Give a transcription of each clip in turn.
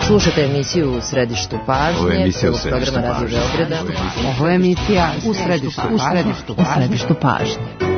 Slušate emisiju U središtu pažnje, prvog programa Radio Beograda. Ovo je emisija U središtu pažnje.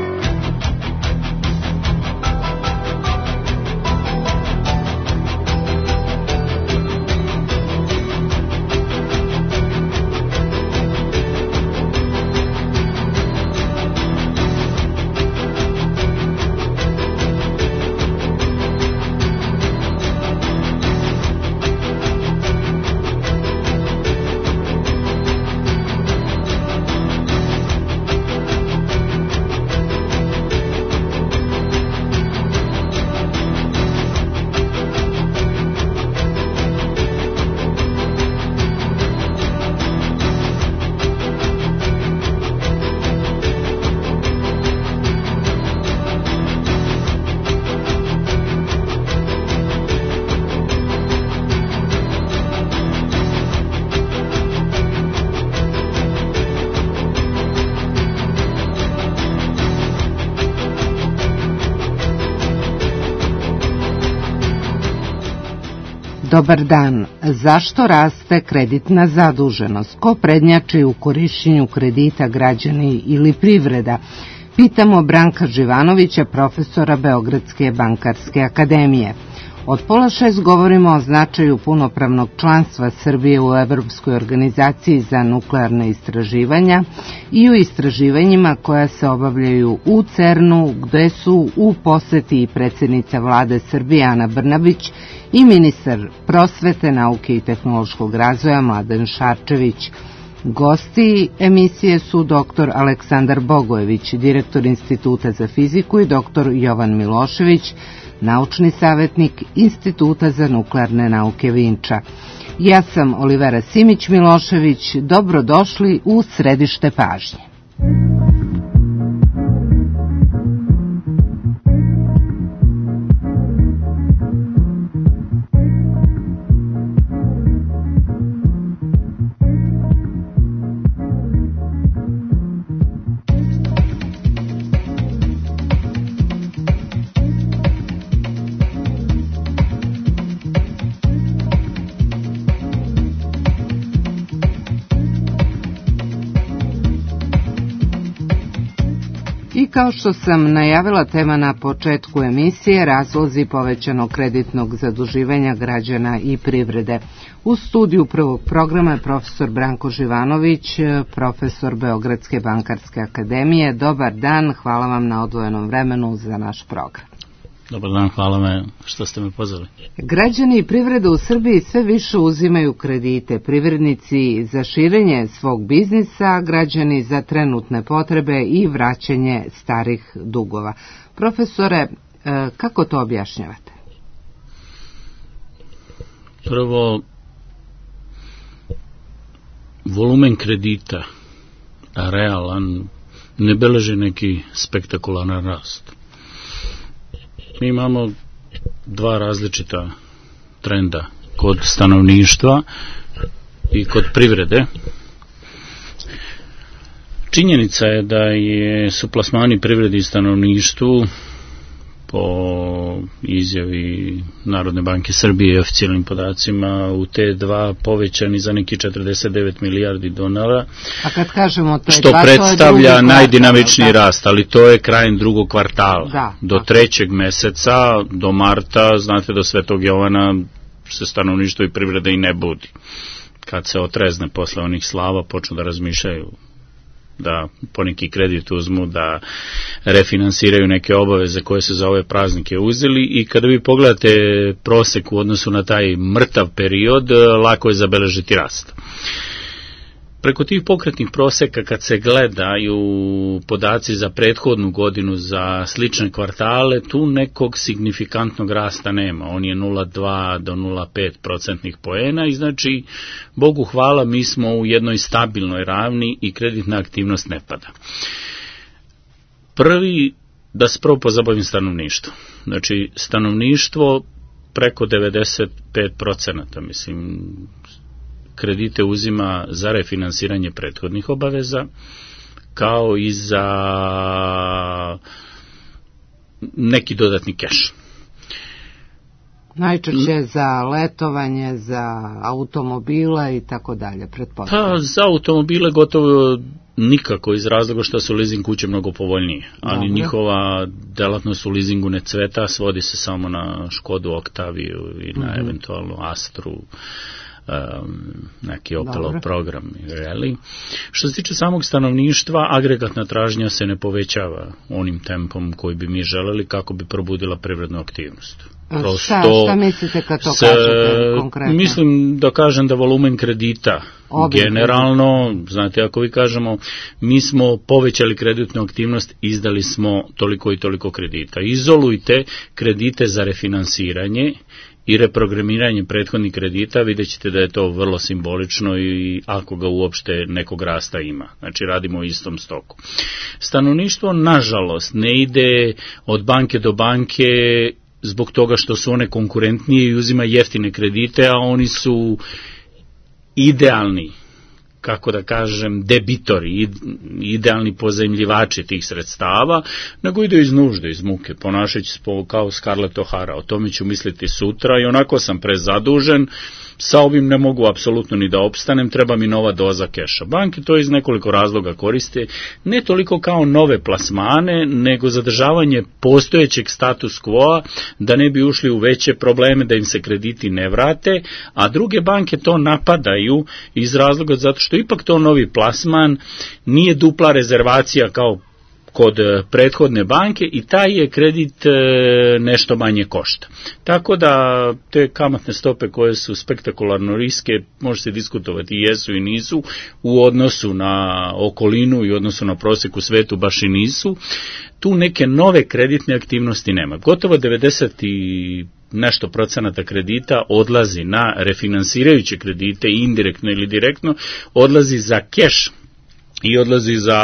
Dobar dan. Zašto raste kreditna zaduženost? Ko prednjači u korišćenju kredita, građani ili privreda? Pitamo Branka Živanovića, profesora Beogradske bankarske akademije. Od 5:30 govorimo o značaju punopravnog članstva Srbije u Evropskoj organizaciji za nuklearne istraživanja i u istraživanjima koja se obavljaju u CERN-u, gde su u poseti i predsjednica vlade Srbije Ana Brnabić i ministar prosvete, nauke i tehnološkog razvoja Mladen Šarčević. Gosti emisije su dr. Aleksandar Bogojević, direktor Instituta za fiziku, i dr. Jovan Milošević, naučni savjetnik Instituta za nuklearne nauke Vinča. Ja sam Olivera Simić-Milošević. Dobrodošli u središte pažnje. Kao što sam najavila, tema na početku emisije, razlozi povećanog kreditnog zaduživanja građana i privrede. U studiju prvog programa je profesor Branko Živanović, profesor Beogradske bankarske akademije. Dobar dan, hvala vam na odvojenom vremenu za naš program. Dobar dan, hvala me što ste me pozvali. Građani i privreda u Srbiji sve više uzimaju kredite, privrednici za širenje svog biznisa, građani za trenutne potrebe i vraćanje starih dugova. Profesore, kako to objašnjavate? Prvo, volumen kredita, realan, ne beleži neki spektakularan rast. Mi imamo dva različita trenda kod stanovništva i kod privrede. Činjenica je da su plasmani privredi i stanovništvu po izjavi Narodne banke Srbije i oficijalnim podacima u T2 povećani za neki 49 milijardi $, a kad kažemo T2, što predstavlja najdinamičniji rast, ali to je krajem drugog kvartala. Do 3. meseca, do marta, znate, do Svetog Jovana se stanovništvo i privreda i ne budi. Kad se otrezne posle onih slava, počnu da razmišljaju da poneki kredit uzmu, da refinansiraju neke obaveze koje se za ove praznike uzeli, i kada vi pogledate prosek u odnosu na taj mrtav period, lako je zabeležiti rast. Preko tih pokretnih proseka, kad se gledaju podaci za prethodnu godinu za slične kvartale, tu nekog signifikantnog rasta nema. On je 0,2 do 0,5% poena i znači, Bogu hvala, mi smo u jednoj stabilnoj ravni i kreditna aktivnost ne pada. Prvi, da se prvo pozabavim stanovništvo. Znači, stanovništvo preko 95%, mislim, kredite uzima za refinansiranje prethodnih obaveza, kao i za neki dodatni keš. Najčešće za letovanje, za automobile i tako dalje, pretpostavljam. Pa za automobile gotovo nikako, iz razloga što su leasing kuće mnogo povoljnije, ali njihova delatnost u leasingu ne cveta, svodi se samo na Škodu Oktaviju i na eventualno Astru, neki Opelov program. Really. Što se tiče samog stanovništva, agregatna tražnja se ne povećava onim tempom koji bi mi želeli kako bi probudila privrednu aktivnost. Šta mislite kad to kažete konkretno? Mislim da kažem da volumen kredita generalno, znate, ako vi kažemo mi smo povećali kreditnu aktivnost, izdali smo toliko i toliko kredita. Izolujte kredite za refinansiranje i reprogramiranje prethodnih kredita, vidjet ćete da je to vrlo simbolično i ako ga uopšte nekog rasta ima. Znači radimo u istom stoku. Stanovništvo, nažalost, ne ide od banke do banke zbog toga što su one konkurentnije i uzima jeftine kredite, a oni su idealni, kako da kažem, debitori, idealni pozajmljivači tih sredstava, nego ide iz nužde, iz muke, ponašajući se kao Scarlett O'Hara. O tome ću misliti sutra i onako sam prezadužen, sa ovim ne mogu apsolutno ni da opstanem, treba mi nova doza keša. Banke to iz nekoliko razloga koriste, ne toliko kao nove plasmane, nego zadržavanje postojećeg status quo, da ne bi ušli u veće probleme, da im se krediti ne vrate, a druge banke to napadaju iz razloga zato što ipak to novi plasman, nije dupla rezervacija kao kod prethodne banke i taj je kredit nešto manje košta. Tako da te kamatne stope koje su spektakularno riske, može se diskutovati jesu i nisu, u odnosu na okolinu i odnosu na prosjek u svetu baš i nisu, tu neke nove kreditne aktivnosti nema. Gotovo 90 i nešto procenata kredita odlazi na refinansirajuće kredite, indirektno ili direktno, odlazi za keš i odlazi za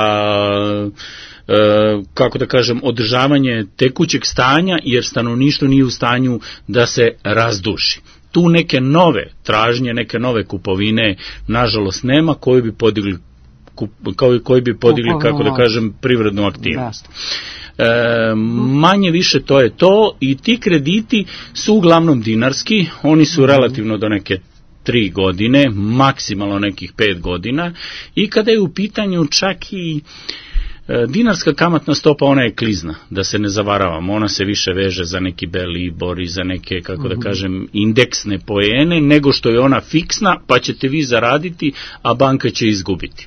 kako da kažem, održavanje tekućeg stanja, jer stanovništvo nije u stanju da se razduši. Tu neke nove tražnje, neke nove kupovine, nažalost, nema koji bi podigli kako da kažem, privrednu aktivnost. Manje više to je to i ti krediti su uglavnom dinarski, oni su relativno do neke 3 godine, maksimalno nekih 5 godina i kada je u pitanju čak i dinarska kamatna stopa, ona je klizna, da se ne zavaravamo, ona se više veže za neki Belibor i za neke, kako da kažem, indeksne poene, nego što je ona fiksna, pa ćete vi zaraditi, a banka će izgubiti.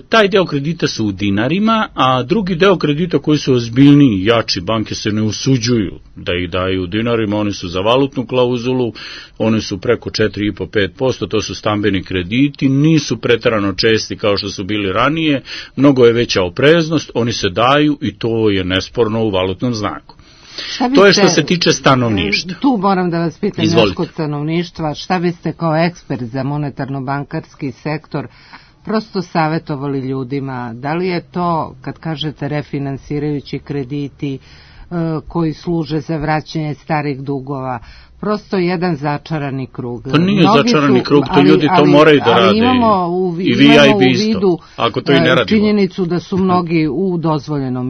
Taj deo kredita su u dinarima, a drugi deo kredita koji su ozbiljniji, jači, banke se ne usuđuju da ih daju u dinarima, oni su za valutnu klauzulu, oni su preko 4,5-5%, to su stambeni krediti, nisu preterano česti kao što su bili ranije, mnogo je veća opreznost, oni se daju i to je nesporno u valutnom znaku. To je što se tiče stanovništva. Tu moram da vas pitam još kod stanovništva, šta biste kao ekspert za monetarno-bankarski sektor prosto savjetovali ljudima, da li je to, kad kažete refinansirajući krediti koji služe za vraćanje starih dugova, prosto jedan začarani krug. Pa nije začarani krug, to ljudi to moraju da rade. I vi ja i vi isto, ako to i ne radimo. Činjenicu da su mnogi u dozvoljenom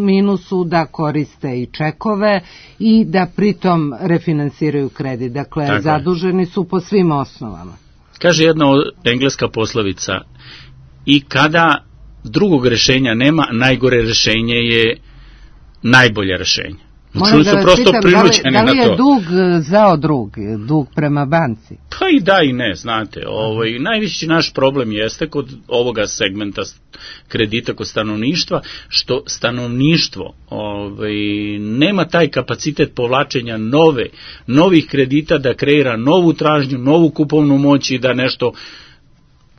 minusu, da koriste i čekove i da pritom refinansiraju kredit. Dakle, tako zaduženi su po svim osnovama. Kaže jedna engleska poslovica, i kada drugog rešenja nema, najgore rešenje je najbolje rešenje. Čuli su prosto prinuđeni na to. Da li je dug zao drug, dug prema banci? Pa i da i ne, znate. Najveći naš problem jeste kod ovoga segmenta kredita kod stanovništva, što stanovništvo nema taj kapacitet povlačenja novih kredita da kreira novu tražnju, novu kupovnu moć i da nešto,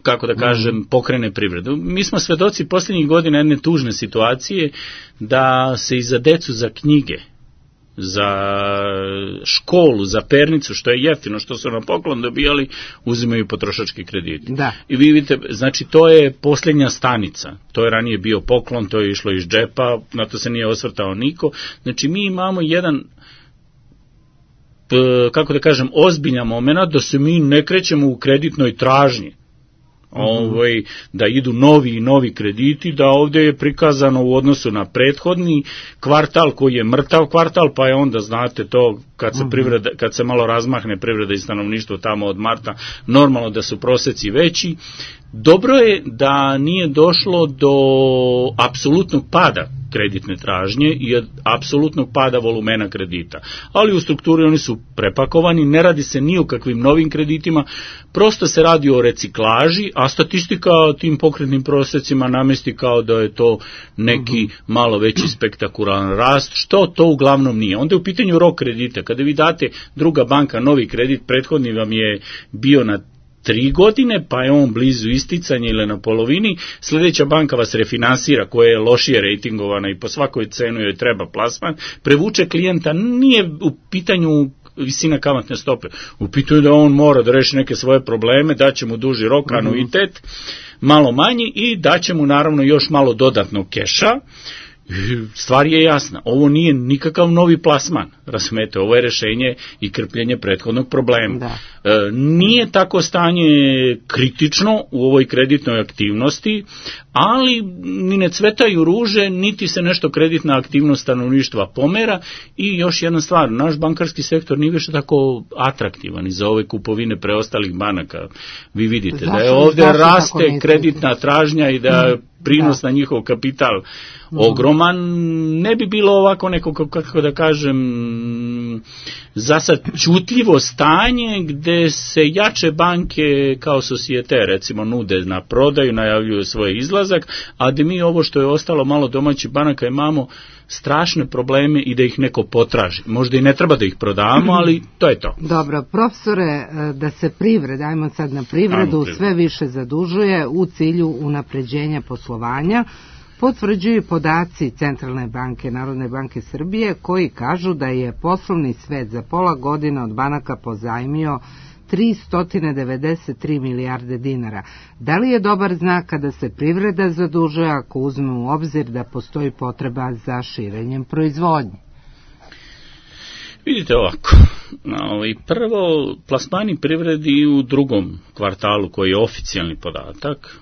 kako da kažem, pokrene privredu. Mi smo svedoci posljednjih godina jedne tužne situacije da se i za decu, za knjige, za školu, za pernicu, što je jeftino, što su na poklon dobijali, uzimaju potrošački krediti. Da. I vi vidite, znači to je posljednja stanica. To je ranije bio poklon, to je išlo iz džepa, na to se nije osvrtao niko. Znači mi imamo jedan, kako da kažem, ozbiljan moment da se mi ne krećemo u kreditnoj tražnji. da idu novi krediti, da ovdje je prikazano u odnosu na prethodni kvartal koji je mrtav kvartal, pa je onda, znate, to kad se malo razmahne privreda i stanovništvo tamo od marta, normalno da su proseci veći. Dobro je da nije došlo do apsolutnog pada kreditne tražnje i apsolutnog pada volumena kredita. Ali u strukturi oni su prepakovani, ne radi se ni o kakvim novim kreditima, prosto se radi o reciklaži, a statistika tim pokretnim prosjecima namesti kao da je to neki malo veći spektakularan rast, što to uglavnom nije. Onda je u pitanju rok kredita. Kada vi date druga banka novi kredit, prethodni vam je bio na 3 godine, pa je on blizu isticanja ili na polovini, sljedeća banka vas refinansira, koja je lošije rejtingovana i po svakoj cenu joj treba plasman, prevuče klijenta, nije u pitanju visina kamatne stope, u pitanju da on mora da reši neke svoje probleme, daće mu duži rok, anuitet, malo manji i daće mu naravno još malo dodatnog keša. Stvar je jasna, ovo nije nikakav novi plasman, razumete, ovo je rešenje i krpljenje prethodnog problema. Nije tako stanje kritično u ovoj kreditnoj aktivnosti, ali ni ne cvetaju ruže, niti se nešto kreditna aktivnost stanovništva pomera. I još jedna stvar, naš bankarski sektor nije više tako atraktivan i za ove kupovine preostalih banaka. Vi vidite da je ovdje raste kreditna tražnja i da prinos na njihov kapital ogroman. Ne bi bilo ovako neko, kako da kažem, zasad čutljivo stanje gde se jače banke kao Societe recimo nude na prodaju, najavljuju svoj izlazak, a da mi ovo što je ostalo malo domaćih banaka imamo strašne probleme i da ih neko potraži. Možda i ne treba da ih prodamo, ali to je to. Dobro, profesore, da se privreda, ajmo sad na privredu, sve više zadužuje u cilju unapređenja poslovanja, potvrđuju podaci Centralne banke, Narodne banke Srbije, koji kažu da je poslovni svet za pola godine od banaka pozajmio 393 milijarde dinara. Da li je dobar znak kada se privreda zadužuje ako uzme u obzir da postoji potreba za širenjem proizvodnje? Vidite ovako, prvo plasmani privredi u drugom kvartalu koji je oficijalni podatak,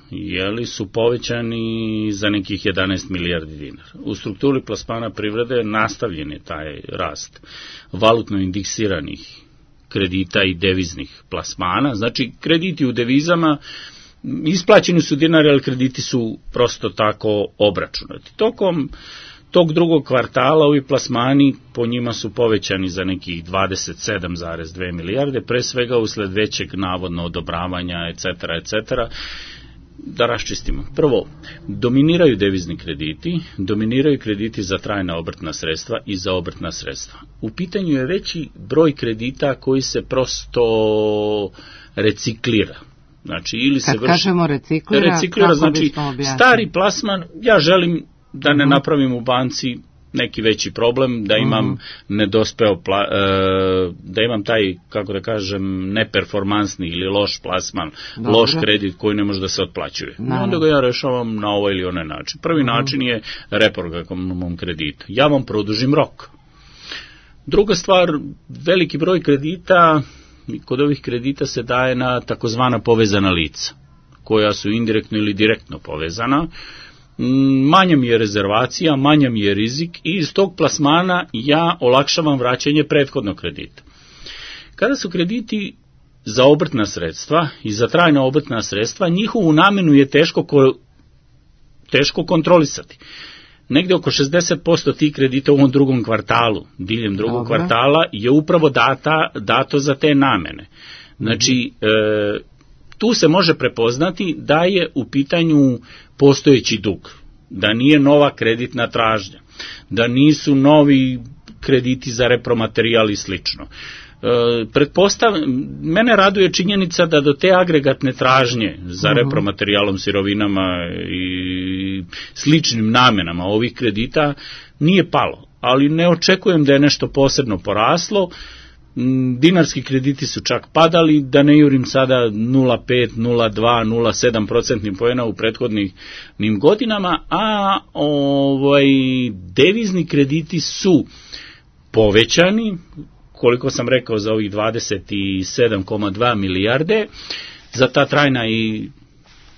su povećani za nekih 11 milijardi dinara. U strukturi plasmana privrede nastavljen je taj rast valutno indeksiranih kredita i deviznih plasmana, znači krediti u devizama isplaćeni su dinari, ali krediti su prosto tako obračunati. Tokom tog drugog kvartala ovi plasmani po njima su povećani za nekih 27,2 milijarde, pre svega usled većeg navodno odobravanja, etc. Da raščistimo. Prvo, dominiraju devizni krediti, dominiraju krediti za trajna obrtna sredstva i za obrtna sredstva. U pitanju je veći broj kredita koji se prosto reciklira. Znači, ili se kažemo reciklira, znači stari plasman, ja želim da ne napravim u banci neki veći problem, da imam da imam taj, kako da kažem, neperformansni ili loš plasman, loš kredit koji ne može da se otplaćuje. I onda ga ja rešavam na ovaj ili onaj način. Prvi način je reprogramom kredita. Ja vam produžim rok. Druga stvar, veliki broj kredita, kod ovih kredita se daje na takozvana povezana lica, koja su indirektno ili direktno povezana. Manja mi je rezervacija, manja mi je rizik i iz tog plasmana ja olakšavam vraćanje prethodnog kredita. Kada su krediti za obrtna sredstva i za trajna obrtna sredstva, njihovu namenu je teško kontrolisati. Negde oko 60% tih kredita u ovom drugom kvartalu, diljem drugog kvartala, je upravo dato za te namene. Znači, tu se može prepoznati da je u pitanju postojeći dug, da nije nova kreditna tražnja, da nisu krediti za repromaterijal i slično. Mene raduje činjenica da do te agregatne tražnje za repromaterijalom, sirovinama i sličnim namenama ovih kredita nije palo, ali ne očekujem da je nešto posebno poraslo. Dinarski krediti su čak padali, da ne jurim sada 0,5, 0,2, 0,7% poena u prethodnim godinama, a devizni krediti su povećani, koliko sam rekao, za ovih 27,2 milijarde, za ta trajna i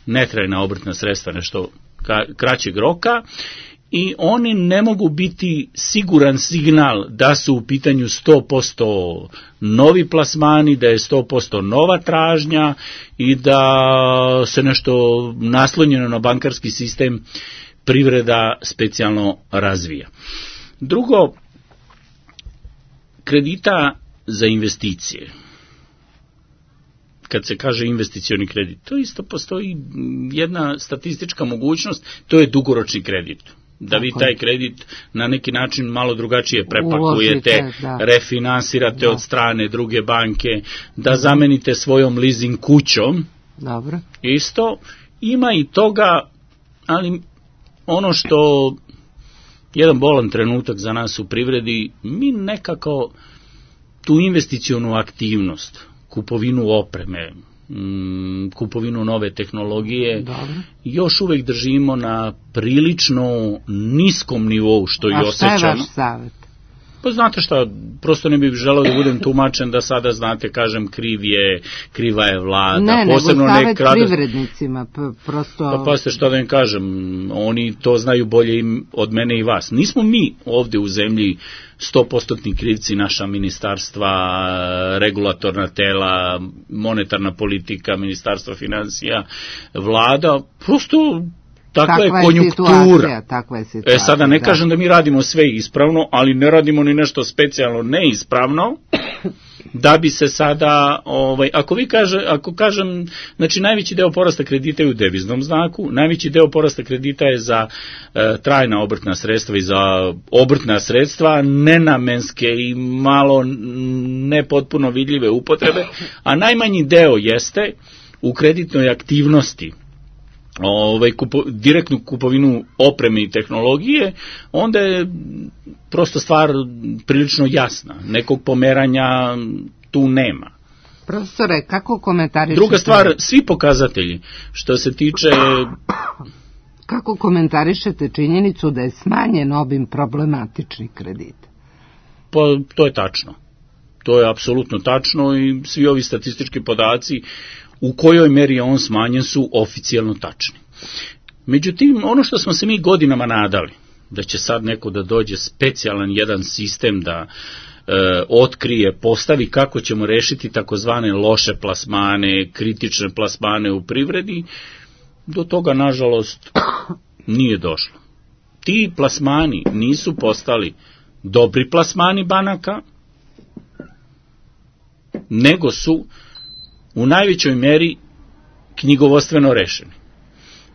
netrajna obrtna sredstva, nešto kraćeg roka, i oni ne mogu biti siguran signal da su u pitanju 100% novi plasmani, da je 100% nova tražnja i da se nešto naslonjeno na bankarski sistem privreda specijalno razvija. Drugo, kredita za investicije. Kad se kaže investicioni kredit, to isto postoji jedna statistička mogućnost, to je dugoročni kredit. Da vi taj kredit na neki način malo drugačije prepakujete, refinansirate od strane druge banke, da zamenite svojom leasing kućom. Dobro. Isto, ima i toga, ali ono što jedan bolan trenutak za nas u privredi, mi nekako tu investicionu aktivnost, kupovinu opreme, kupovinu nove tehnologije, još uvek držimo na prilično niskom nivou, što i osjećam. A šta je vaš savjet? Pa znate šta, prosto ne bih želeo da budem tumačen da sada, znate, kažem, kriva je vlada. Ne, posebno nego savjet privrednicima, prosto... Pa ste šta da im kažem, oni to znaju bolje od mene i vas. Nismo mi ovde u zemlji 100% krivci, naša ministarstva, regulatorna tela, monetarna politika, ministarstvo finansija, vlada, prosto... Takva je konjunktura. Takva je situacija. Sada ne kažem da mi radimo sve ispravno, ali ne radimo ni nešto specijalno neispravno, da bi se sada, ako kažem, znači najveći deo porasta kredita je u deviznom znaku, najveći deo porasta kredita je za trajna obrtna sredstva i za obrtna sredstva, nenamenske i malo nepotpuno vidljive upotrebe, a najmanji deo jeste u kreditnoj aktivnosti, direktnu kupovinu opreme i tehnologije, onda je prosto stvar prilično jasna. Nekog pomeranja tu nema. Profesore, kako komentarišete? Druga stvar, svi pokazatelji što se tiče... Kako komentarišete činjenicu da je smanjen obim problematičnih kredita? Pa to je tačno. To je apsolutno tačno i svi ovi statistički podaci u kojoj meri je on smanjen su oficijalno tačni. Međutim, ono što smo se mi godinama nadali, da će sad neko da dođe specijalan jedan sistem da otkrije, postavi kako ćemo rešiti takozvane loše plasmane, kritične plasmane u privredi, do toga, nažalost, nije došlo. Ti plasmani nisu postali dobri plasmani banaka, nego su u najvećoj meri knjigovodstveno rešeni.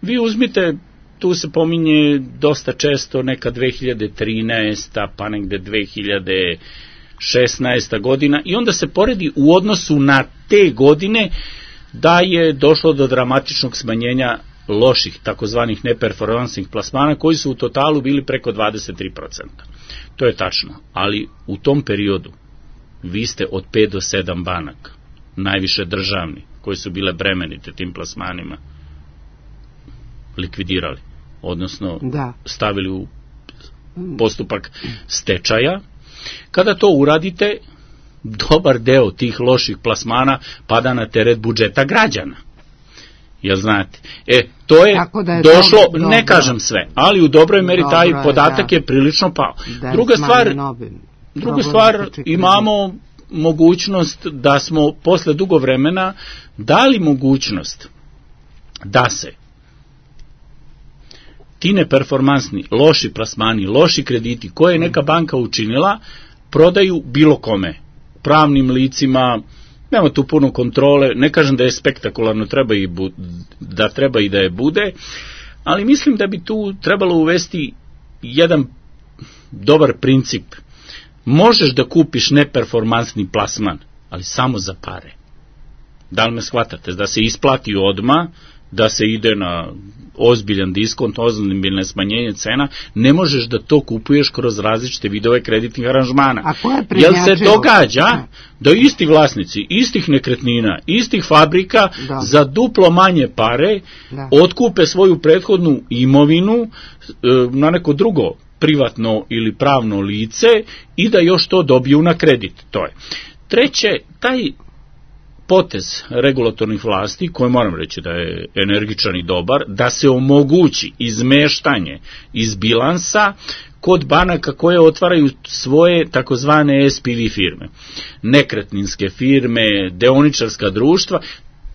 Vi uzmite, tu se pominje dosta često neka 2013. pa negde 2016. godina i onda se poredi u odnosu na te godine da je došlo do dramatičnog smanjenja loših, takozvanih neperformansnih plasmana, koji su u totalu bili preko 23%. To je tačno, ali u tom periodu vi ste od 5 do 7 banaka, najviše državni, koji su bile bremenite tim plasmanima, likvidirali, odnosno stavili u postupak stečaja. Kada to uradite, dobar deo tih loših plasmana pada na teret budžeta građana. Jel znate? To je došlo, ne kažem sve, ali u dobroj meri taj podatak je prilično pao. Druga stvar, imamo mogućnost da smo posle dugo vremena dali mogućnost da se ti neperformansni, loši plasmani, loši krediti koje je neka banka učinila, prodaju bilo kome, pravnim licima, nema tu puno kontrole, ne kažem da je spektakularno, da treba i da je bude, ali mislim da bi tu trebalo uvesti jedan dobar princip. Možeš da kupiš neperformansni plasman, ali samo za pare. Da li me shvatate? Da se isplati odmah, da se ide na ozbiljan diskont, ozbiljne smanjenje cena, ne možeš da to kupuješ kroz različite vidove kreditnih aranžmana. Jel se događa da isti vlasnici, istih nekretnina, istih fabrika za duplo manje pare otkupe svoju prethodnu imovinu na neko drugo privatno ili pravno lice i da još to dobiju na kredit. To je. Treće, taj potez regulatornih vlasti, koji moram reći da je energičan i dobar, da se omogući izmeštanje iz bilansa kod banaka koje otvaraju svoje takozvane SPV firme, nekretninske firme, deoničarska društva.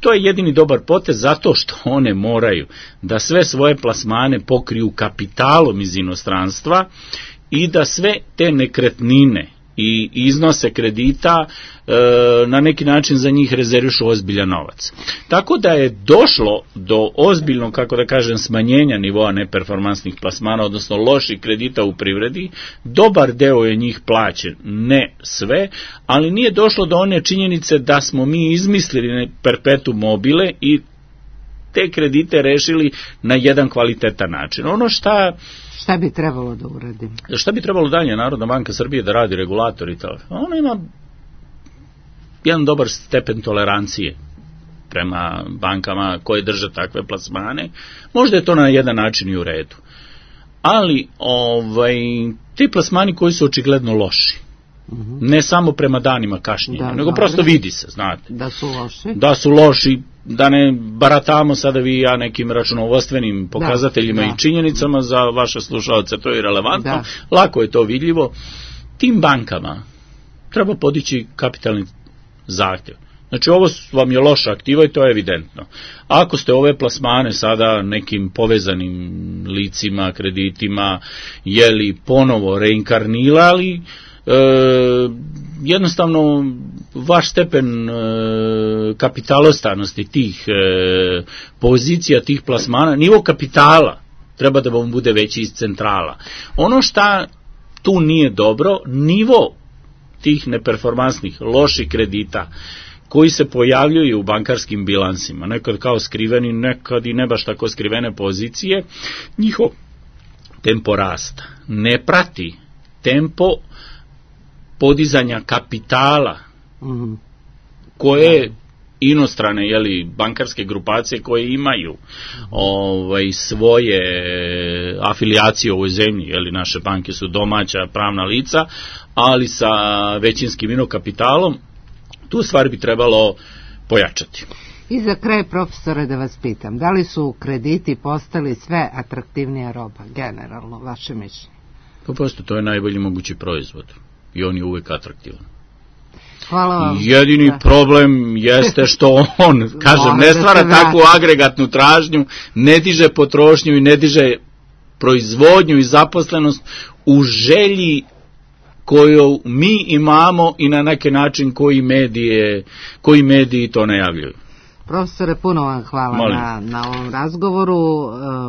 To je jedini dobar potez zato što one moraju da sve svoje plasmane pokriju kapitalom iz inostranstva i da sve te nekretnine i iznose kredita na neki način za njih rezervišu ozbiljan novac. Tako da je došlo do ozbiljnog, kako da kažem, smanjenja nivoa neperformansnih plasmana, odnosno loših kredita u privredi. Dobar deo je njih plaćen, ne sve, ali nije došlo do one činjenice da smo mi izmislili perpetuum mobile i te kredite rešili na jedan kvalitetan način. Ono Šta bi trebalo da uradi? Šta bi trebalo dalje Narodna banka Srbije da radi, regulator i to? Ona ima jedan dobar stepen tolerancije prema bankama koje drže takve plasmane. Možda je to na jedan način i u redu. Ali ti plasmani koji su očigledno loši, ne samo prema danima kašnjenja, nego prosto vidi se, znate. Da su loši? Da su loši, da ne baratamo sada vi i ja nekim računovodstvenim pokazateljima i činjenicama, za vaše slušalce to je relevantno, lako je to vidljivo. Tim bankama treba podići kapitalni zahtjev. Znači ovo vam je loša aktiva i to je evidentno. Ako ste ove plasmane sada nekim povezanim licima, kreditima, ponovo reinkarnirali, jednostavno vaš stepen kapitalostanosti tih pozicija, tih plasmana, nivo kapitala treba da vam bude veći iz centrala. Ono šta tu nije dobro, nivo tih neperformansnih, loših kredita koji se pojavljuju u bankarskim bilansima, nekad kao skriveni, nekad i ne baš tako skrivene pozicije, njihov tempo rasta ne prati tempo podizanja kapitala koje inostrane bankarske grupacije koje imaju svoje afilijacije u ovoj zemlji, naše banke su domaća pravna lica, ali sa većinskim inokapitalom, tu stvar bi trebalo pojačati. I za kraj, profesore, da vas pitam, da li su krediti postali sve atraktivnija roba, generalno, vaše mišljenje? Prosto, to je najbolji mogući proizvod i on je uvek atraktivan. Hvala vam. Jedini problem jeste što on, ne stvara takvu agregatnu tražnju, ne diže potrošnju i ne diže proizvodnju i zaposlenost u želji koju mi imamo i na neki način koji mediji to najavljuju. Profesore, puno vam hvala na ovom razgovoru.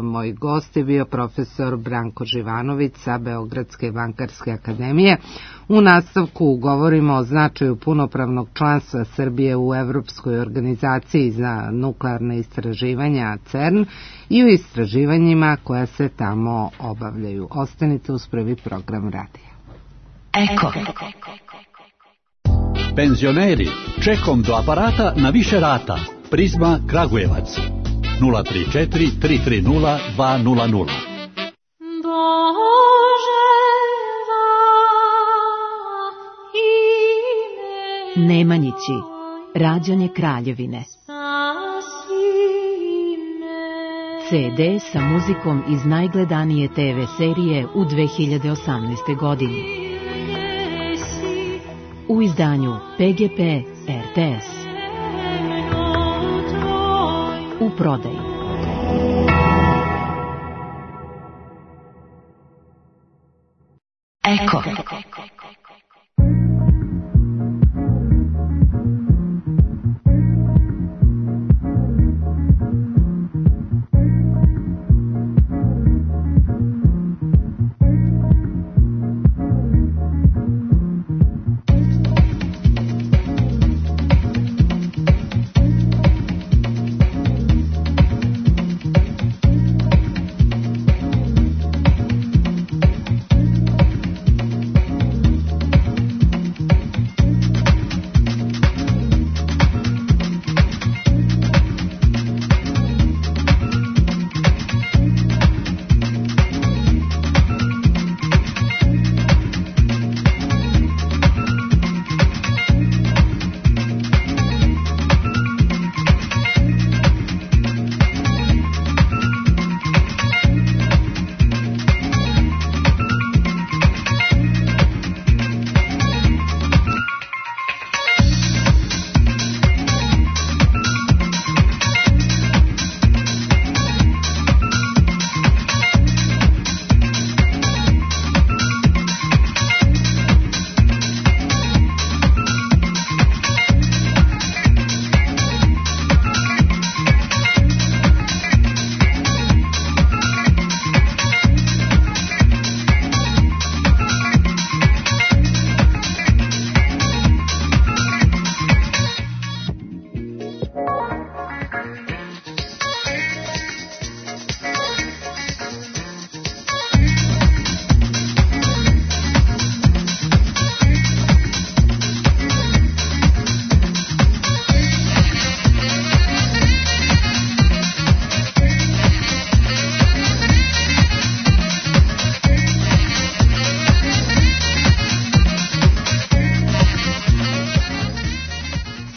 Moj gost je bio profesor Branko Živanović sa Beogradske bankarske akademije. U nastavku govorimo o značaju punopravnog članstva Srbije u Evropskoj organizaciji za nuklearne istraživanja CERN i u istraživanjima koja se tamo obavljaju. Ostanite uz prvi program radija. Eko. Penzioneri, čekom do aparata na više rata. Prizma Kragujevac 034 330 200. Nemanjići, rađanje Kraljevine. CD sa muzikom iz najgledanije TV serije u 2018. godini. U izdanju PGP RTS. U prodaju. Eko.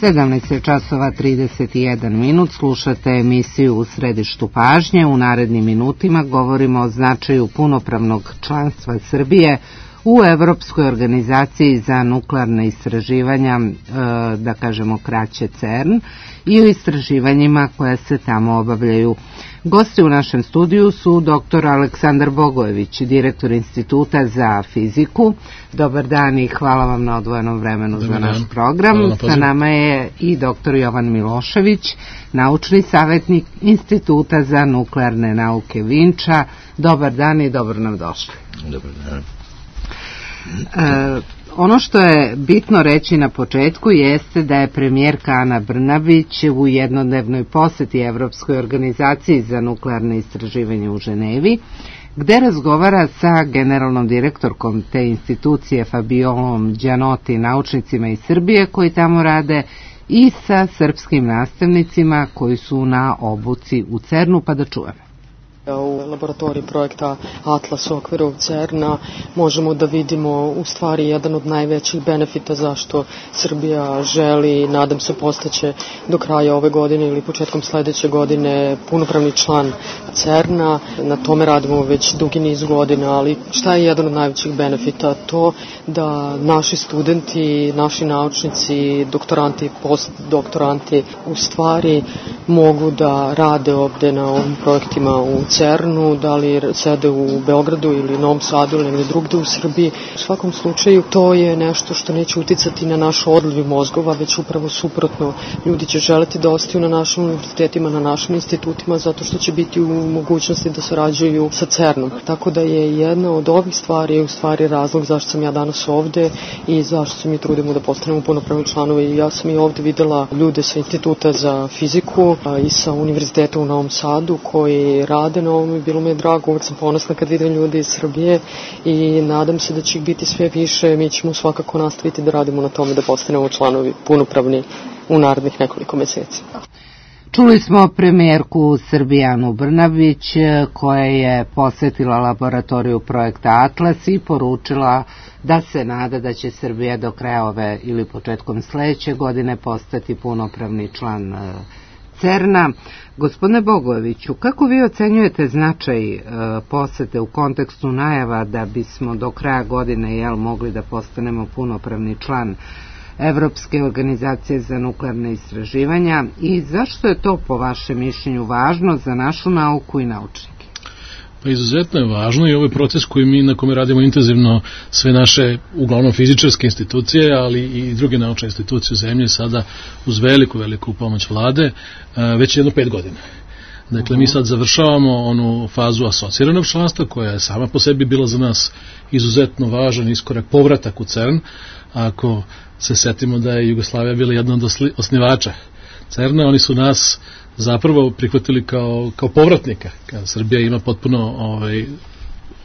17 časova 31 minut, slušate emisiju U središtu pažnje. U narednim minutima govorimo o značaju punopravnog članstva Srbije u Evropskoj organizaciji za nuklearne istraživanja, da kažemo kraće CERN, i o istraživanjima koja se tamo obavljaju. Gosti u našem studiju su dr. Aleksandar Bogojević, direktor Instituta za fiziku. Dobar dan i hvala vam na odvojenom vremenu za naš program. Sa nama je i dr. Jovan Milošević, naučni savjetnik Instituta za nuklearne nauke Vinča. Dobar dan i dobro nam došli. Dobar dan. Ono što je bitno reći na početku jeste da je premijerka Ana Brnabić u jednodnevnoj poseti Evropskoj organizaciji za nuklearne istraživanje u Ženevi, gde razgovara sa generalnom direktorkom te institucije Fabiolom Đanoti, naučnicima iz Srbije koji tamo rade, i sa srpskim nastavnicima koji su na obuci u CERN-u, pa da čujemo. U laboratoriji projekta Atlas u okviru CERN-a možemo da vidimo u stvari jedan od najvećih benefita zašto Srbija želi, nadam se postaće do kraja ove godine ili početkom sledeće godine punopravni član CERN-a. Na tome radimo već dugi niz godina, ali šta je jedan od najvećih benefita? To da naši studenti, naši naučnici, doktoranti, postdoktoranti u stvari mogu da rade ovde na ovim projektima u CERN-u, da li sede u Beogradu ili Novom Sadu ili negde drugde u Srbiji. U svakom slučaju to je nešto što neće uticati na naš odliv mozgova, već upravo suprotno. Ljudi će želeti da ostaju na našim univerzitetima, na našim institutima, zato što će biti u mogućnosti da sarađuju sa CERN-om. Tako da je jedna od ovih stvari u stvari razlog zašto sam ja danas ovde i zašto se mi trudimo da postanemo punopravni članovi. Ja sam i ovde videla ljude sa Instituta za fiziku i sa Univerziteta u Novom Sadu koji rade na ovom i bilo mi je drago, uvek sam ponosna kad vidim ljudi iz Srbije i nadam se da će ih biti sve više. Mi ćemo svakako nastaviti da radimo na tome da postanemo članovi punopravni u narednih nekoliko meseci. Čuli smo premijerku Srbije Anu Brnabić koja je posetila laboratoriju projekta Atlas i poručila da se nada da će Srbija do kraja ove ili početkom sledeće godine postati punopravni član CERN-a. Gospodine Bogojeviću, kako vi ocenjujete značaj posete u kontekstu najava da bismo do kraja godine mogli da postanemo punopravni član Evropske organizacije za nuklearne istraživanja i zašto je to po vašem mišljenju važno za našu nauku i naučnike? Pa izuzetno je važno i ovaj proces koji mi na kome radimo intenzivno sve naše, uglavnom fizičarske institucije, ali i druge naučne institucije u zemlji sada uz veliku pomoć vlade, već jedno 5 godina. Dakle, mi sad završavamo onu fazu asociranog članstva koja je sama po sebi bila za nas izuzetno važan iskorak, povratak u CERN. Ako se setimo da je Jugoslavija bila jedna od osnivača CERN-a, oni su nas zapravo prihvatili kao povratnika. Srbija ima potpuno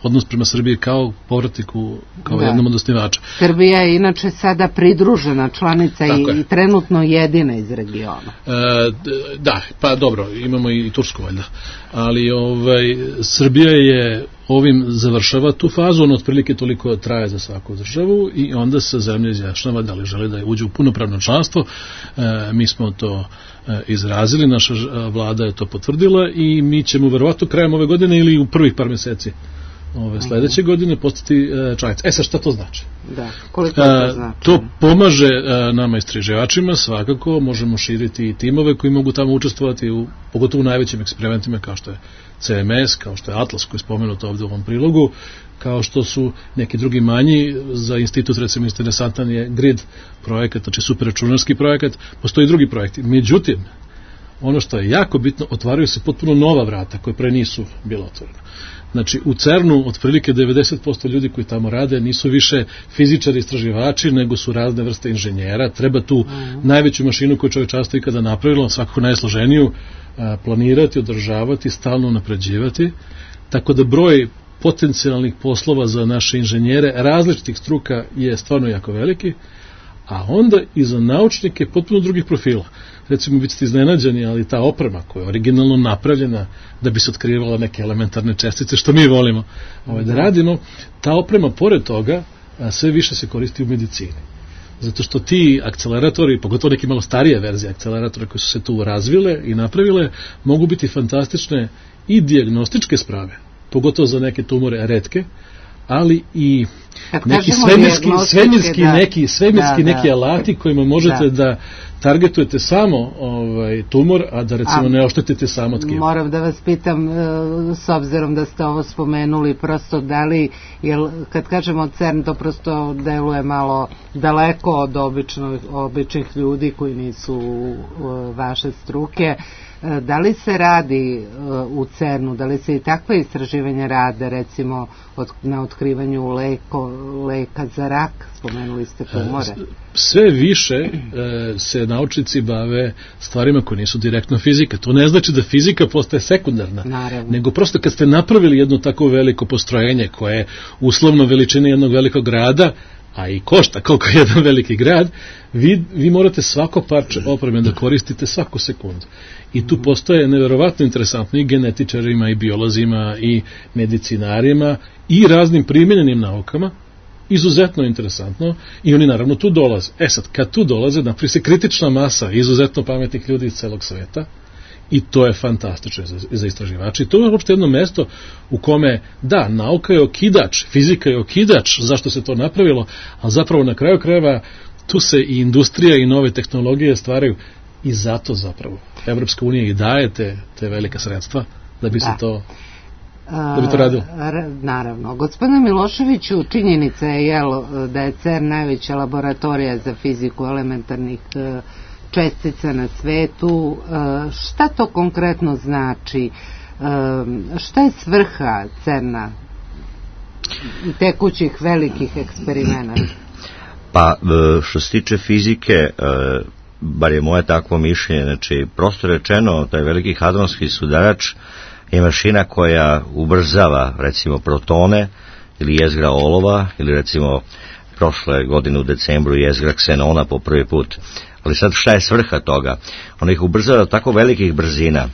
odnos prema Srbiji kao povratniku, kao jednom od osnivača. Srbija je inače sada pridružena članica i trenutno jedina iz regiona. Da, pa dobro, imamo i Tursku valjda, ali Srbija je ovim završava tu fazu, on otprilike toliko traje za svaku državu i onda se zemlja izjašnjava da li želi da uđe u punopravno članstvo. Mi smo to izrazili, naša vlada je to potvrdila i mi ćemo verovatno krajem ove godine ili u prvih par meseci sledeće godine postati članica. Sad šta to znači? Da, koliko to znači? To pomaže nama istraživačima, svakako možemo širiti i timove koji mogu tamo učestvovati pogotovo u najvećim eksperimentima kao što je CMS, kao što je Atlas koji je spomenut ovde u ovom prilogu, kao što su neki drugi manji. Za institut recimo interesantan je GRID projekat, znači superračunarski projekat, postoji drugi projekti. Međutim, ono što je jako bitno, otvaraju se potpuno nova vrata koje pre nisu bila otvorena. Znači, u CERN-u otprilike 90% ljudi koji tamo rade nisu više fizičari, istraživači, nego su razne vrste inženjera. Treba tu najveću mašinu koju čovečanstvo ikada napravilo, svakako najsloženiju, planirati, održavati, stalno napređivati. Tako da broj potencijalnih poslova za naše inženjere različitih struka je stvarno jako veliki, a onda i za naučnike potpuno drugih profila. Recimo, bit ste iznenađeni, ali ta oprema koja je originalno napravljena da bi se otkrivala neke elementarne čestice, što mi volimo da radimo, ta oprema, pored toga, sve više se koristi u medicini. Zato što ti akceleratori, pogotovo neki malo starije verzije akceleratora koje su se tu razvile i napravile, mogu biti fantastične i dijagnostičke sprave, pogotovo za neke tumore retke, ali i neki svemirski neki alati kojima možete da targetujete samo tumor, a da recimo ne oštetite samo tkivo. Moram da vas pitam, s obzirom da ste ovo spomenuli, prosto da li, jer kad kažemo CERN, to prosto deluje malo daleko od običnih ljudi koji nisu vaše struke. Da li se radi u CERN-u, da li se i takve istraživanja rade, recimo na otkrivanju leka za rak, spomenuli ste tumore? Sve više se naučnici bave stvarima koje nisu direktno fizika. To ne znači da fizika postaje sekundarna, nego prosto kad ste napravili jedno tako veliko postrojenje koje je uslovno veličine jednog velikog grada, a i košta koliko je jedan veliki grad, vi morate svako parče opreme da koristite svaku sekundu. I tu postoje neverovatno interesantno i genetičarima, i biolozima, i medicinarima, i raznim primjenjenim naukama, izuzetno interesantno, i oni naravno tu dolaze. Sad, kad tu dolaze, napravi se kritična masa izuzetno pametnih ljudi iz celog sveta, i to je fantastično za istraživače. I to je uopšte jedno mesto u kome, da, nauka je okidač, fizika je okidač zašto se to napravilo, a zapravo na kraju krajeva tu se i industrija i nove tehnologije stvaraju, i zato zapravo Evropska unija i daje te velika sredstva da bi se to radilo. Naravno. Gospodine Miloševiću, činjenica je da je CERN najveća laboratorija za fiziku elementarnih čestica na svetu. Šta to konkretno znači? Šta je svrha CERN-a i tekućih velikih eksperimenata? Pa, što se tiče fizike, bar je moje takvo mišljenje, znači, prosto rečeno, taj veliki hadronski sudarač je mašina koja ubrzava, recimo, protone ili jezgra olova, ili recimo prošle godine u decembru jezgra ksenona po prvi put. Ali sad šta je svrha toga? Ona ih ubrzava tako velikih brzina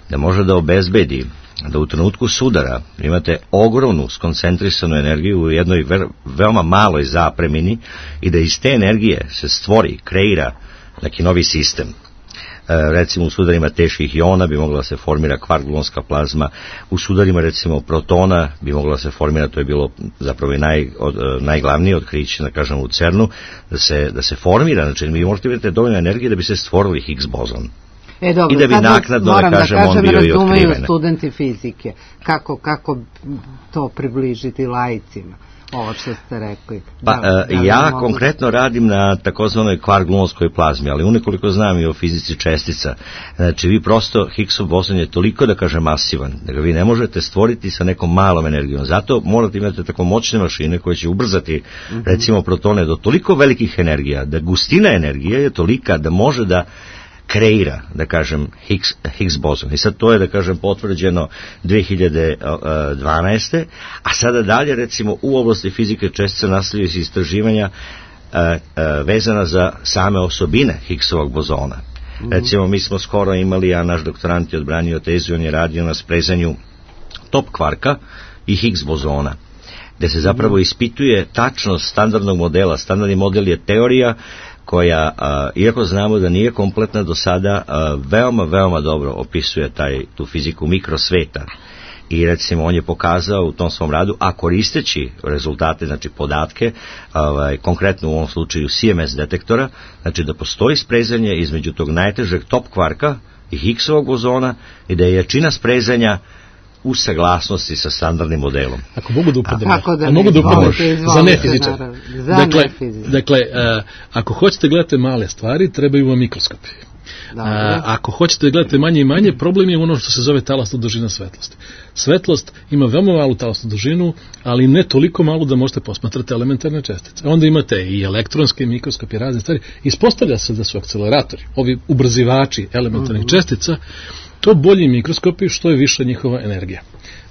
da može da obezbedi da u trenutku sudara imate ogromnu skoncentrisanu energiju u jednoj veoma maloj zapremini i da iz te energije se stvori, kreira neki novi sistem. Recimo u sudarima teških iona bi mogla da se formira kvark-gluonska plazma, u sudarima recimo protona bi mogla da se formira, to je bilo zapravo i najglavnije otkriće, da kažem, u CERN-u, da se formira, znači vi možete imati dovoljno energije da bi se stvorili Higgs bozon. Dobro, i da bi naknadno, da kažem, on bio i otkriven. Razumeju studenti fizike, kako to približiti laicima, ovo što ste rekli. Ja konkretno radim na takozvanoj kvark-gluonskoj plazmi, ali unekoliko znam i o fizici čestica. Znači, vi prosto, Higgsov bozon je toliko, da kažem, masivan, da ga vi ne možete stvoriti sa nekom malom energijom. Zato morate imati tako moćne mašine koje će ubrzati, recimo, protone do toliko velikih energija, da gustina energije je tolika da može da kreira, da kažem, Higgs bozon. I sad to je, da kažem, potvrđeno 2012. A sada dalje, recimo, u oblasti fizike čestica nastavljaju se istraživanja vezana za same osobine Higgsovog bozona. Recimo, mi smo skoro imali, a naš doktorant je odbranio tezu, on je radio na sprezanju top kvarka i Higgs bozona, gde se zapravo ispituje tačnost standardnog modela. Standardni model je teorija koja, iako znamo da nije kompletna do sada, veoma, veoma dobro opisuje tu fiziku mikrosveta. I recimo on je pokazao u tom svom radu, a koristeći rezultate, znači podatke, konkretno u ovom slučaju CMS detektora, znači da postoji sprezanje između tog najtežeg top kvarka i Higgsovog bozona i da je jačina sprezanja u saglasnosti sa standardnim modelom. Ako mogu da upadnem, za nefizičar. Dakle, ako hoćete gledati male stvari, trebaju vam mikroskopi. Ako hoćete da gledate manje i manje, problem je ono što se zove talasna dužina svetlosti. Svetlost ima veoma malu talasnu dužinu, ali ne toliko malu da možete posmatrati elementarne čestice. Onda imate i elektronske mikroskopi i razne stvari. Ispostavlja se da su akceleratori, ovi ubrzivači elementarnih čestica, to bolji mikroskopi što je viša njihova energija.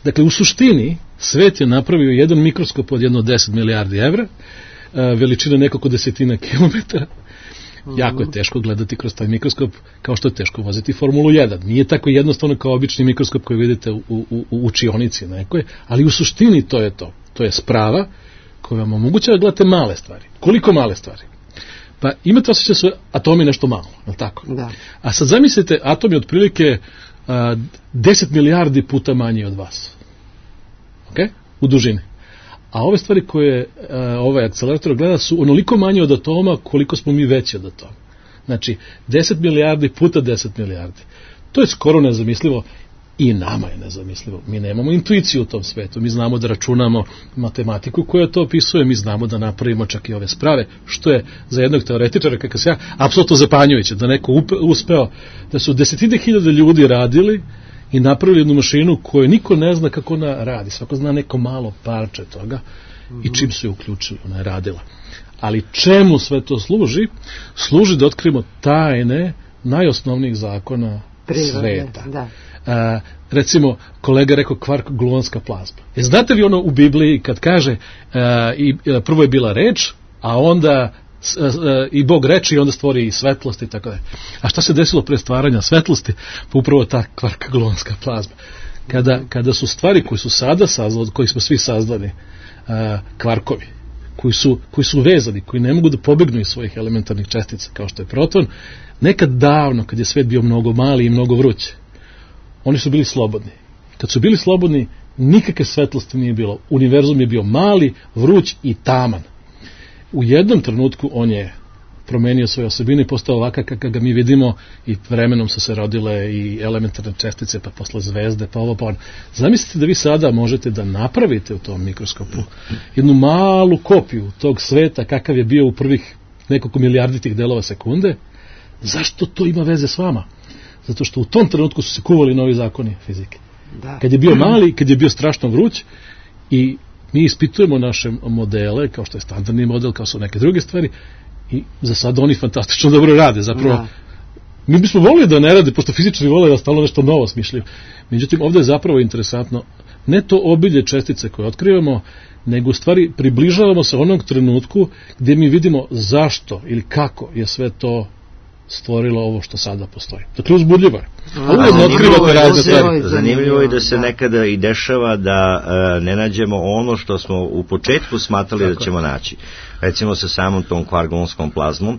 Dakle, u suštini, svet je napravio jedan mikroskop od 10 milijardi evra, veličina nekoliko desetina kilometara. Jako je teško gledati kroz taj mikroskop, kao što je teško voziti Formulu 1. Nije tako jednostavno kao obični mikroskop koji vidite u učionici nekoj, ali u suštini to je to. To je sprava koja vam omogućava da gledate male stvari. Koliko male stvari? Pa imate osjećaj da su atomi nešto malo, je li tako? Da. A sad zamislite, atom je otprilike 10 milijardi puta manji od vas. Ok? U dužini. A ove stvari koje ovaj akcelerator gleda su onoliko manje od atoma koliko smo mi veći od atoma. Znači, 10 milijardi puta 10 milijardi. To je skoro nezamislivo i nama je nezamislivo. Mi nemamo intuiciju u tom svetu. Mi znamo da računamo matematiku koja to opisuje, mi znamo da napravimo čak i ove sprave, što je za jednog teoretičara, kakav se ja, apsolutno zapanjujuće, da neko uspeo, da su 10.000 ljudi radili i napravili jednu mašinu koju niko ne zna kako ona radi. Svako zna neko malo parče toga i čim su je uključili, ona je radila. Ali čemu sve to služi? Služi da otkrijemo tajne najosnovnijih zakona sveta. Da. Recimo, kolega rekao kvark gluonska plazma. Znate li ono u Bibliji kad kaže prvo je bila reč, a onda i Bog reče i onda stvori i svetlost i tako da. A šta se desilo pre stvaranja svetlosti? Pa upravo ta kvark gluonska plazma. Kada su stvari koje su sada saznali, od kojih smo svi saznali, kvarkovi, koji su vezani, koji ne mogu da pobegnu iz svojih elementarnih čestica, kao što je proton, nekad davno, kad je svet bio mnogo mali i mnogo vruć, oni su bili slobodni. Kad su bili slobodni, nikakve svetlosti nije bilo. Univerzum je bio mali, vruć i taman. U jednom trenutku on je promenio svoje osobine i postao ovakav kako ga mi vidimo i vremenom su se rodile i elementarne čestice, pa posle zvezde, pa ovo, pa ono. Zamislite da vi sada možete da napravite u tom mikroskopu jednu malu kopiju tog sveta kakav je bio u prvih nekoliko milijarditih delova sekunde. Zašto to ima veze s vama? Zato što u tom trenutku su se kuvali novi zakoni fizike. Da. Kad je bio mali, kad je bio strašno vruć i mi ispitujemo naše modele, kao što je standardni model, kao su neke druge stvari, i za sad oni fantastično dobro rade. Zapravo, mi bismo volili da ne rade, pošto fizičari vole da stalno nešto novo smišljaju. Međutim, ovdje je zapravo interesantno ne to obilje čestice koje otkrivamo, nego u stvari približavamo se onog trenutku gdje mi vidimo zašto ili kako je sve to stvorilo ovo što sada postoji. Dakle, uzbudljivo je. Zanimljivo je da se nekada i dešava da ne nađemo ono što smo u početku smatrali da ćemo naći. Recimo sa samom tom kvark-gluonskom plazmom,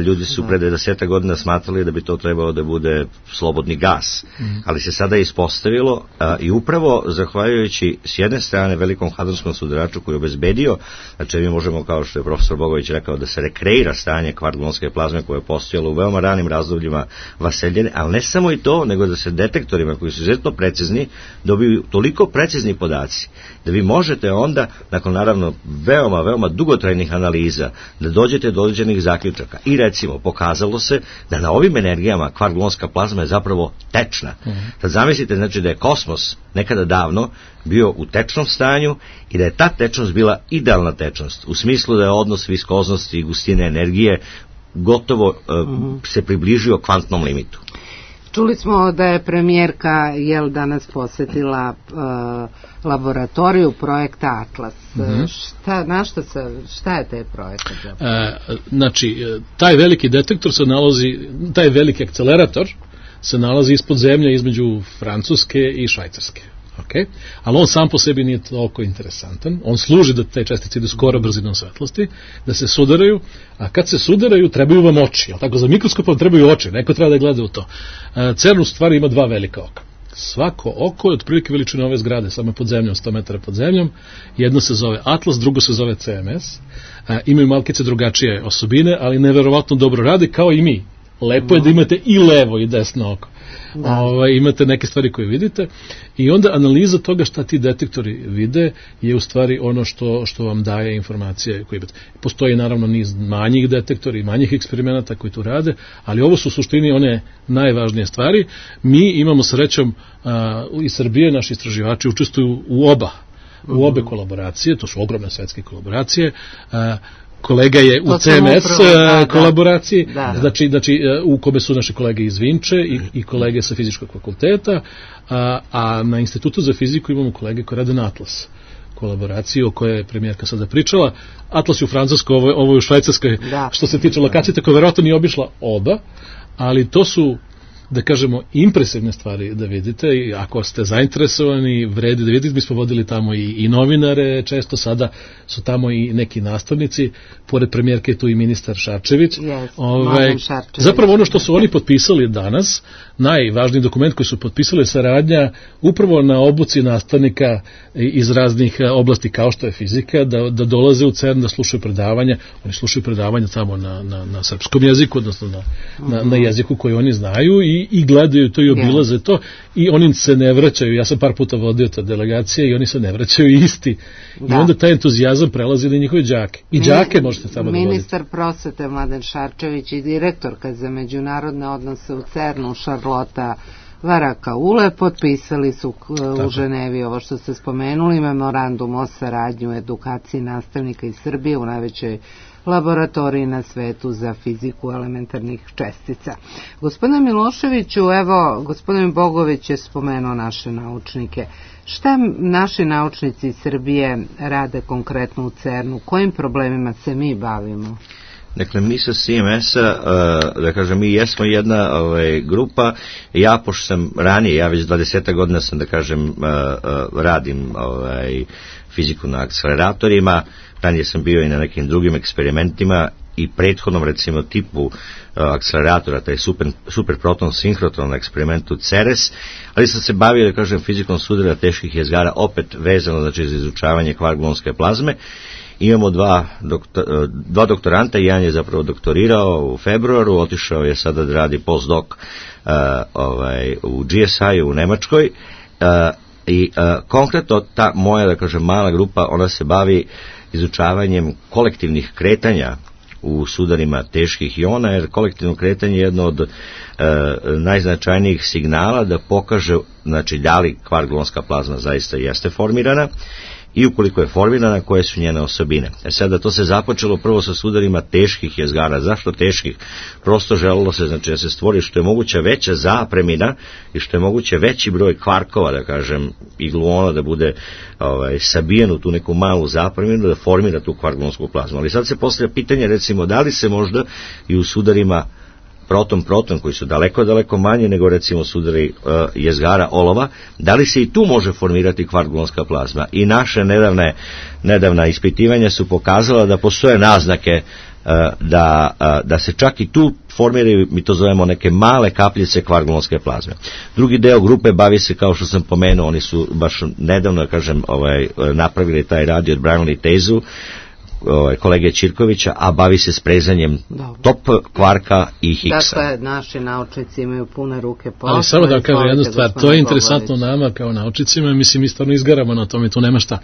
ljudi su pre 10 godina smatrali da bi to trebalo da bude slobodni gas, ali se sada ispostavilo i upravo zahvaljujući s jedne strane velikom hadronskom sudaraču koji je obezbedio, znači mi možemo, kao što je profesor Bogović rekao, da se rekreira stanje kvark-gluonske plazme koje je postojalo u veoma ranim razdobljima vaseljene, ali ne samo i to, nego da se detektorima koji su izuzetno precizni dobiju toliko precizni podaci da vi možete onda, nakon naravno veoma dugotrajnih analiza, da dođete do određenih zaključaka. I recimo, pokazalo se da na ovim energijama kvark-gluonska plazma je zapravo tečna. Sad zamislite, znači da je kosmos nekada davno bio u tečnom stanju i da je ta tečnost bila idealna tečnost, u smislu da je odnos viskoznosti i gustine energije gotovo se približio kvantnom limitu. Čuli smo da je premijerka danas posjetila laboratoriju projekta Atlas. Šta je taj projekat? Znači, taj veliki detektor se nalazi, taj veliki akcelerator se nalazi ispod zemlje između Francuske i Švajcarske. Okay. Ali on sam po sebi nije toliko interesantan. On služi da te čestice idu skoro brzinom svetlosti, da se sudaraju, a kad se sudaraju trebaju vam oči. Tako, za mikroskopom trebaju oči, neko treba da gleda u to. CERN u stvari ima 2 velika oka. Svako oko je otprilike veličine ove zgrade, samo pod zemljom, 100 metara pod zemljom. Jedno se zove Atlas, drugo se zove CMS. Imaju malkice drugačije osobine, ali neverovatno dobro rade, kao i mi. Lepo je da imate i levo i desno oko. Imate neke stvari koje vidite i onda analiza toga šta ti detektori vide je u stvari ono što vam daje informacije koje imate. Postoji naravno niz manjih detektora i manjih eksperimenata koji tu rade, ali ovo su u suštini one najvažnije stvari. Mi imamo srećom iz Srbije, naši istraživači učestvuju u obe kolaboracije, to su ogromne svetske kolaboracije. Kolega je u CMS kolaboraciji, znači u kome su naše kolege iz Vinče i kolege sa fizičkog fakulteta, a na Institutu za fiziku imamo kolege koji rade na Atlas kolaboraciji o kojoj je premijerka sada pričala. Atlas je u Francuskoj, ovo je u Švajcarskoj, što se tiče lokacije, tako verovatno nije obišla oba, ali to su da kažemo, impresivne stvari da vidite i ako ste zainteresovani, vredi da vidite, mi smo vodili tamo i novinare, često sada su tamo i neki nastavnici, pored premijerke je tu i ministar Šarčević. Zapravo ono što su oni potpisali danas, najvažniji dokument koji su potpisali je saradnja upravo na obuci nastavnika iz raznih oblasti kao što je fizika, da dolaze u CERN da slušaju predavanja, oni slušaju predavanja tamo na srpskom jeziku, odnosno na jeziku koji oni znaju i gledaju to i obilaze to i oni se ne vraćaju, ja sam par puta vodio ta delegacija i oni se ne vraćaju isti i onda taj entuzijazam prelazi na njihove đake i đake možete tamo da vodite. Ministar prosvete Mladen Šarčević i direktorka za međunarodne odnose u CERN-u Šarlota Varakaule potpisali su u Ženevi ovo što ste spomenuli, memorandum o saradnji u edukaciji nastavnika iz Srbije u najvećoj laboratoriji na svetu za fiziku elementarnih čestica. Gospodine Miloševiću, evo, gospodin Bogović je spomenuo naše naučnike. Šta naši naučnici iz Srbije rade konkretno u CERN-u? Kojim problemima se mi bavimo? Dakle, mi sa CMS-a, da kažem, mi jesmo jedna grupa, ja pošto sam ranije, ja već 20 godina sam, da kažem, radim fiziku na akceleratorima, ranije sam bio i na nekim drugim eksperimentima i prethodnom, recimo, tipu akceleratora, taj superproton sinhrotron eksperimentu CERES, ali sam se bavio, da kažem, fizikom sudara teških jezgara, opet vezano, znači, za izučavanje kvark-gluonske plazme. Imamo dva doktoranta, jedan je zapravo doktorirao u februaru, otišao je sada da radi postdoc u GSI-u u Nemačkoj i konkretno ta moja, da kažem, mala grupa, ona se bavi izučavanjem kolektivnih kretanja u sudarima teških iona, jer kolektivno kretanje je jedno od najznačajnijih signala da pokaže, znači, da li kvark-gluonska plazma zaista jeste formirana i ukoliko je formirana, koje su njene osobine. Sada to se započelo prvo sa sudarima teških jezgara. Zašto teških? Prosto želilo se, znači, da se stvori što je moguća veća zapremina i što je moguće veći broj kvarkova, da kažem, i gluona da bude sabijen u tu neku malu zapreminu, da formira tu kvark-gluonsku plazmu. Ali sad se postavlja pitanje, recimo, da li se možda i u sudarima proton, koji su daleko manje nego, recimo, sudari jezgara olova, da li se i tu može formirati kvark-gluonska plazma? I naše nedavna ispitivanja su pokazala da postoje naznake da se čak i tu formiraju, mi to zovemo, neke male kapljice kvark-gluonske plazme. Drugi deo grupe bavi se, kao što sam pomenuo, oni su baš nedavno, da kažem, napravili taj rad i odbranili tezu kolege Ćirkovića, a bavi se sprezanjem top kvarka i Higgsa. Dakle, naši naučnici imaju pune ruke posla. Ali samo da kažem jednu stvar, to je interesantno nama kao naučnicima, mislim, mi stvarno izgaramo na tome, tu nema šta.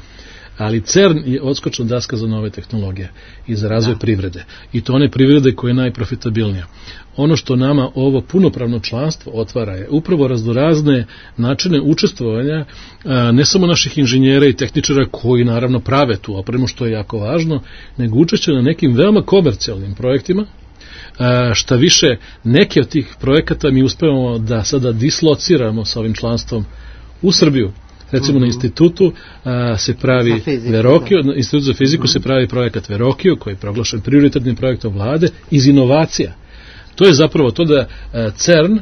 Ali CERN je odskočna daska za nove tehnologije i za razvoj privrede. I to one privrede koja je najprofitabilnija. Ono što nama ovo punopravno članstvo otvara je upravo raznorazne načine učestvovanja, ne samo naših inženjera i tehničara koji naravno prave tu opremu, što je jako važno, nego učešće na nekim veoma komercijalnim projektima. Šta više, neke od tih projekata mi uspevamo da sada dislociramo sa ovim članstvom u Srbiju. Recimo na institutu se pravi Verokio, institut za fiziku se pravi projekat Verokio, koji je proglašen prioritetnim projektom vlade iz inovacija. To je zapravo to da CERN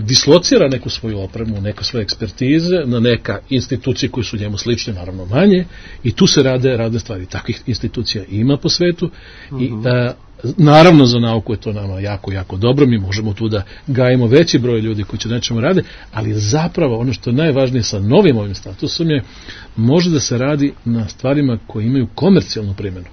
dislocira neku svoju opremu, neke svoje ekspertize na neka institucije koje su njemu slične, naravno manje, i tu se rade stvari. Takvih institucija ima po svetu i naravno za nauku je to nama jako dobro, mi možemo tu da gajimo veći broj ljudi koji će nečemu rade, ali zapravo ono što je najvažnije sa novim ovim statusom je, može da se radi na stvarima koje imaju komercijalnu primjenu.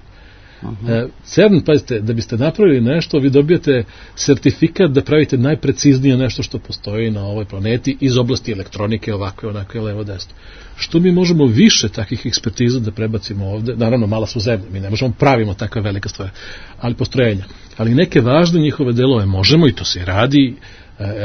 CERN, pazite, da biste napravili nešto, vi dobijate sertifikat da pravite najpreciznije nešto što postoji na ovoj planeti iz oblasti elektronike, ovakve, onakve, levo, desno. Što mi možemo više takih ekspertiza da prebacimo ovde, naravno mala su zemlje, mi ne možemo pravimo takve velike stvari, ali postrojenja. Ali neke važne njihove delove možemo i to se radi,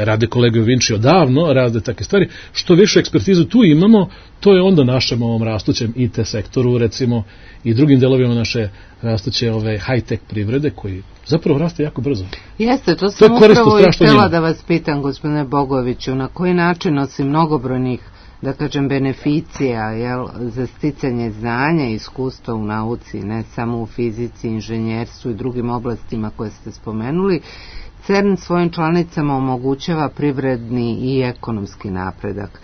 rade kolege u Vinci odavno, rade takve stvari. Što više ekspertizu tu imamo, to je onda našem ovom rastućem IT sektoru, recimo, i drugim delovima naše rastuće high-tech privrede, koji zapravo raste jako brzo. Jeste, to sam upravo i htjela da vas pitam, gospodine Bogoviću, na koji način, osim mnogobrojnih, da kažem, beneficija, za sticanje znanja i iskustva u nauci, ne samo u fizici, inženjerstvu i drugim oblastima koje ste spomenuli, CERN svojim članicama omogućava privredni i ekonomski napredak,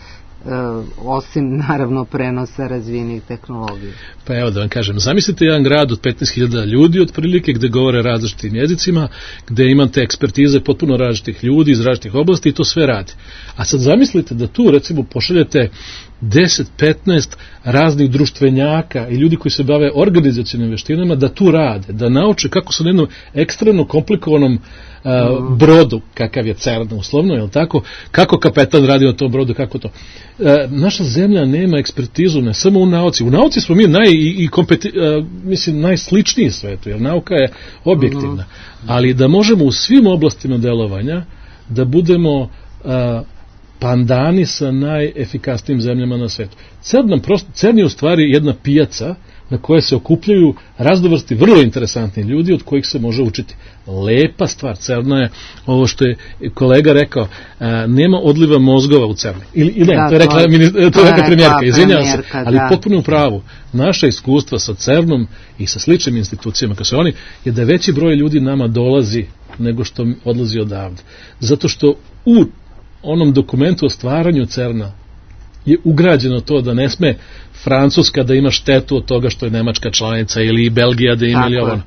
osim naravno prenosa razvijenih tehnologija. Pa evo da vam kažem, zamislite jedan grad od 15.000 ljudi otprilike gde govore različitim jezicima, gde imate ekspertize potpuno različitih ljudi iz različitih oblasti i to sve radi. A sad zamislite da tu recimo pošaljete 10-15 raznih društvenjaka i ljudi koji se bave organizacionim veštinama da tu rade, da nauče kako su na jednom ekstremno komplikovanom brodu, kakav je CERN uslovno, je li tako, kako kapetan radi na tom brodu, kako to. Naša zemlja nema ekspertizu, ne samo u nauci smo mi najsličniji svetu, jer nauka je objektivna, ali da možemo u svim oblastima delovanja da budemo pandani sa najefikasnijim zemljama na svetu. CERN je u stvari jedna pijaca na koje se okupljaju raznovrsti vrlo interesantni ljudi od kojih se može učiti. Lepa stvar CERN-a je ovo što je kolega rekao, nema odliva mozgova u CERN-u. Ili ne, to je rekla premijerka, izvinjavam se, ali potpuno u pravu. Naša iskustva sa CERN-om i sa sličnim institucijama kao su oni, je da veći broj ljudi nama dolazi nego što odlazi odavde. Zato što u onom dokumentu o stvaranju CERN-a je ugrađeno to da ne sme Francuska da ima štetu od toga što je Nemačka članica ili Belgija da ima ili ovo.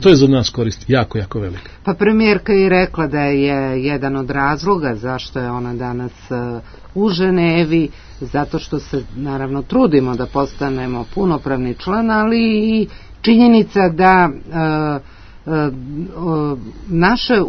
To je za nas korist jako, jako velika. Pa premijerka je rekla da je jedan od razloga zašto je ona danas u Ženevi, zato što se naravno trudimo da postanemo punopravni član, ali i činjenica da naše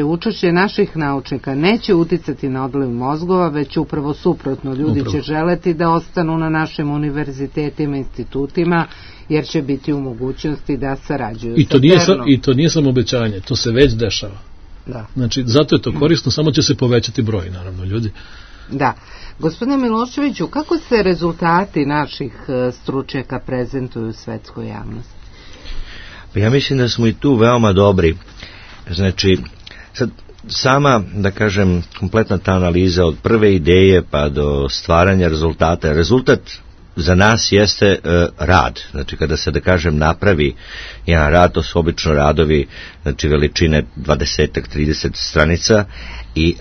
učešće naših naučnika neće uticati na odliv mozgova, već upravo suprotno. Ljudi će želeti da ostanu na našim univerzitetima, institutima, jer će biti u mogućnosti da sarađuju sa CERN-om. I to nije samo obećanje, to se već dešava. Da. Znači, zato je to korisno, samo će se povećati broj, naravno, ljudi. Da. Gospodine Miloševiću, kako se rezultati naših stručnjaka prezentuju u svetskoj javnosti? Ja mislim da smo i tu veoma dobri. Znači, sad sama, da kažem, kompletna ta analiza od prve ideje pa do stvaranja rezultata. Rezultat za nas jeste rad. Znači, kada se, da kažem, napravi jedan rad, to su obično radovi, znači veličine 20-30 stranica i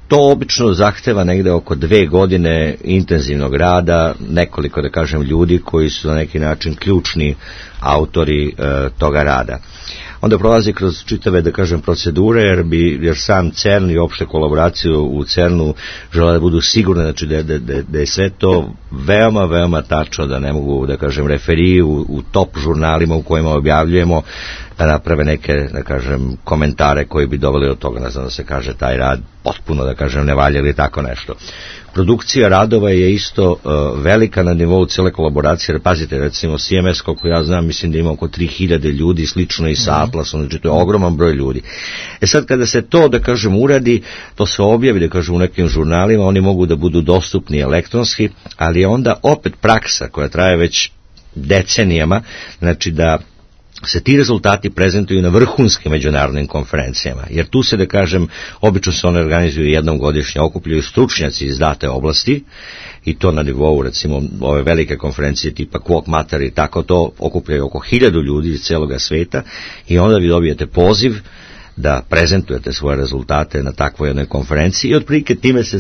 to obično zahteva negde oko 2 godine intenzivnog rada, nekoliko, da kažem, ljudi koji su na neki način ključni autori toga rada. Onda prolazi kroz čitave, da kažem, procedure, jer sam CERN i opšte kolaboraciju u CERN-u žele da budu sigurne, znači da je sve to veoma, veoma tačno, da ne mogu, da kažem, referiji u top žurnalima u kojima objavljujemo, da naprave neke, da kažem, komentare koji bi doveli od toga, ne znam da se kaže taj rad potpuno, da kažem, ne valja ili tako nešto. Produkcija radova je isto velika na nivou cele kolaboracije, jer pazite, recimo CMS, koliko ja znam, mislim da ima oko 3000 ljudi, slično i sa Atlasom, znači to je ogroman broj ljudi. Sad kada se to, da kažem, uradi, to se objavi, da kažem, u nekim žurnalima, oni mogu da budu dostupni elektronski, ali je onda opet praksa koja traje već decenijama, znači da se ti rezultati prezentuju na vrhunskim međunarodnim konferencijama, jer tu se, da kažem, obično se one organizuju jednom godišnje, okupljaju stručnjaci iz date oblasti i to na nivou, recimo, ove velike konferencije tipa Quoc Mater i tako to okupljaju oko 1000 ljudi iz celoga sveta i onda vi dobijete poziv da prezentujete svoje rezultate na takvoj jednoj konferenciji i otprilike time se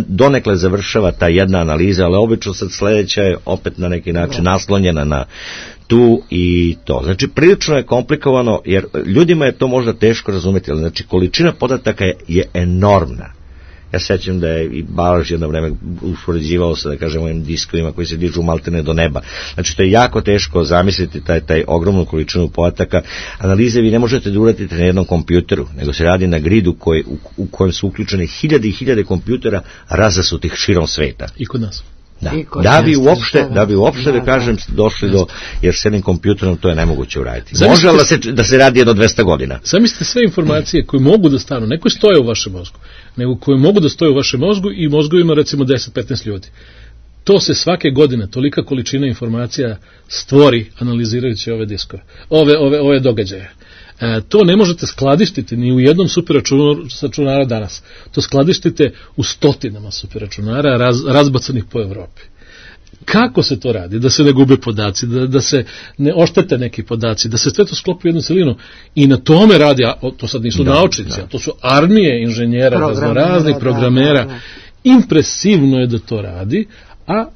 donekle završava ta jedna analiza, ali obično sad sledeća je opet na neki način naslonjena na tu i to. Znači, prilično je komplikovano, jer ljudima je to možda teško razumeti, ali znači, količina podataka je enormna. Ja sećam da je i Balaš jedno vreme uspoređivao se, da kažem, ovim diskovima koji se dižu maltene do neba. Znači, to je jako teško zamisliti taj ogromnu količinu podataka. Analize vi ne možete da uradite na jednom kompjuteru, nego se radi na gridu u kojem su uključene 1000 i 1000 kompjutera razasutih širom sveta. I kod nas. Da bi uopšte, da kažem, došli do, jer s jednim kompjuterom to je nemoguće uraditi. Može da se radi jedno 200 godina. Zamislite sve informacije koje mogu da stanu, ne koje stoje u vašem mozgu, nego koje mogu da stoje u vašem mozgu i mozgovima recimo 10-15 ljudi. To se svake godine, tolika količina informacija stvori analizirajući ove diskove, ove događaje. To ne možete skladištiti ni u jednom superračunara danas. To skladištite u stotinama superračunara razbacanih po Evropi. kako se to radi, da se ne gube podaci, da se ne oštete neki podaci, da se sve to sklopi u jednu celinu i na tome radi, a to sad nisu naučnici, to su armije inženjera, raznih programera. Impresivno je da to radi, a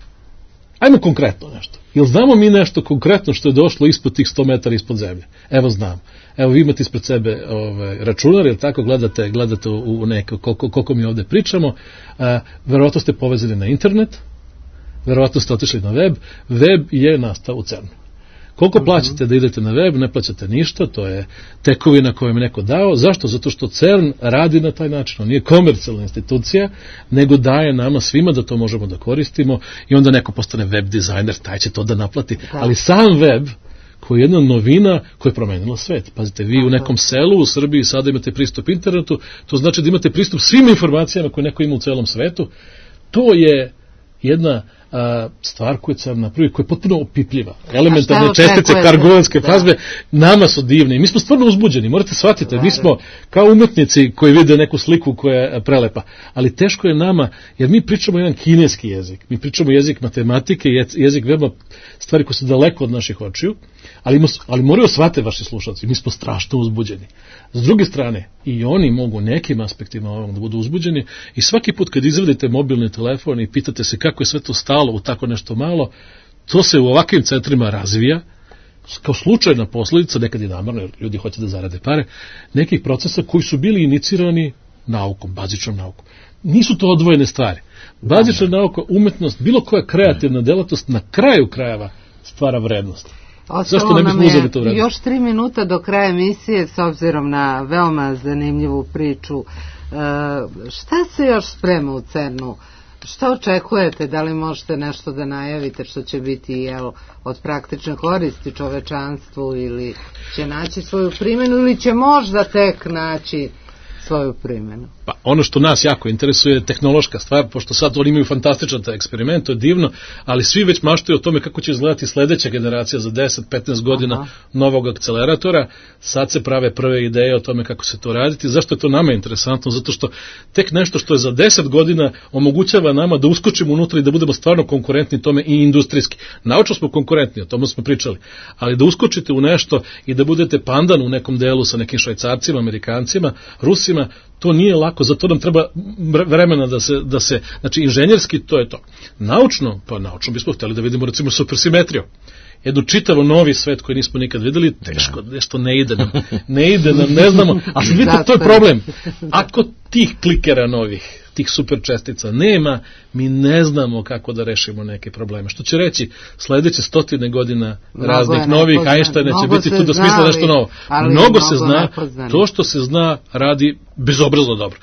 ajmo konkretno nešto. Jel znamo mi nešto konkretno što je došlo ispod tih 100 metara ispod zemlje? Evo znam. Evo vi imate ispred sebe računar, jel tako, gledate u neko, koliko mi ovde pričamo, verovatno ste povezani na internet, verovatno ste otišli na web, web je nastao u CERN-u. Koliko plaćate da idete na web, ne plaćate ništa, to je tekovina koju im neko dao. Zašto? Zato što CERN radi na taj način. On nije komercijalna institucija, nego daje nama svima da to možemo da koristimo i onda neko postane web dizajner, taj će to da naplati. Ali sam web, koji je jedna novina koja je promenila svet. Pazite, vi u nekom selu u Srbiji sada imate pristup internetu, to znači da imate pristup svim informacijama koje neko ima u celom svetu. To je jedna stvar koju CERN napravi, koja je potpuno opipljiva. Elementarne čestice, kargonske fazbe, nama su divne i mi smo stvarno uzbuđeni, morate shvatiti, mi smo kao umetnici koji vide neku sliku koja je prelepa, ali teško je nama, jer mi pričamo jedan kineski jezik, mi pričamo jezik matematike, jezik veoma stvari koje su daleko od naših očiju, ali moraju shvate vaši slušalci, mi smo strašno uzbuđeni. S druge strane, i oni mogu nekim aspektima da budu uzbuđeni i svaki put kad izvadite mobilni telefon i pitate se kako je sve to stalo u tako nešto malo, to se u ovakvim centrima razvija, kao slučajna posledica, nekad i namerno, jer ljudi hoće da zarade pare, nekih procesa koji su bili inicirani naukom, bazičnom naukom. Nisu to odvojene stvari. Bazična nauka, umetnost, bilo koja kreativna delatnost na kraju krajeva stvara vrednost. Ostalo nam je još 3 minuta do kraja emisije, s obzirom na veoma zanimljivu priču. Šta se još sprema u CERN-u? Šta očekujete? Da li možete nešto da najavite što će biti od praktične koristi čovečanstvu ili će naći svoju primjenu ili će možda tek naći svoju primjenu? Pa ono što nas jako interesuje je tehnološka stvar, pošto sad oni imaju fantastičan taj eksperiment, to je divno, ali svi već maštaju o tome kako će izgledati sledeća generacija za 10-15 godina novog akceleratora. Sad se prave prve ideje o tome kako se to raditi. Zašto je to nama interesantno? Zato što tek nešto što je za 10 godina omogućava nama da uskočimo unutra i da budemo stvarno konkurentni tome i industrijski. Naučno smo konkurentni, o tome smo pričali, ali da uskočite u nešto i da budete pandan u nekom delu sa nekim Švajcarcima, Amerikancima, Rusima, to nije lako, zato nam treba vremena da se, znači inženjerski to je to. Naučno bismo htjeli da vidimo recimo supersimetriju. Jednu čitavo novi svet koji nismo nikad videli, teško, nešto ne ide nam, ne znamo, ali vidite, to je problem. Ako tih klikera novih, tih super čestica nema, mi ne znamo kako da rešimo neke probleme. Što će reći, sledeće 100 godina raznih novih Einsteina će biti tu da smisla nešto novo. Mnogo se zna, to što se zna radi bezobrazno dobro.